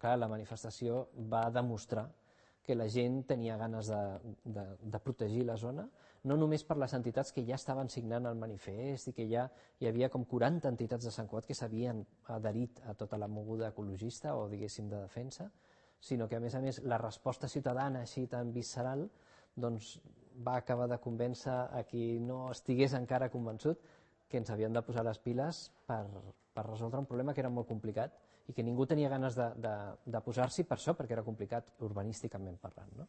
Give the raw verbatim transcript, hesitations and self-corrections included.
clar, la manifestació va demostrar que la gent tenia ganes de, de, de protegir la zona, no només per les entitats que ja estaven signant el manifest i que ja hi havia com quaranta entitats de Sant Cugat que s'havien adherit a tota la moguda ecologista o, diguéssim, de defensa, sinó que, a més a més, la resposta ciutadana així tan visceral doncs, va acabar de convèncer a qui no estigués encara convençut que ens havíem de posar les piles per, per resoldre un problema que era molt complicat i que ningú tenia ganes de, de, de posar-s'hi per això, perquè era complicat urbanísticament parlant, no?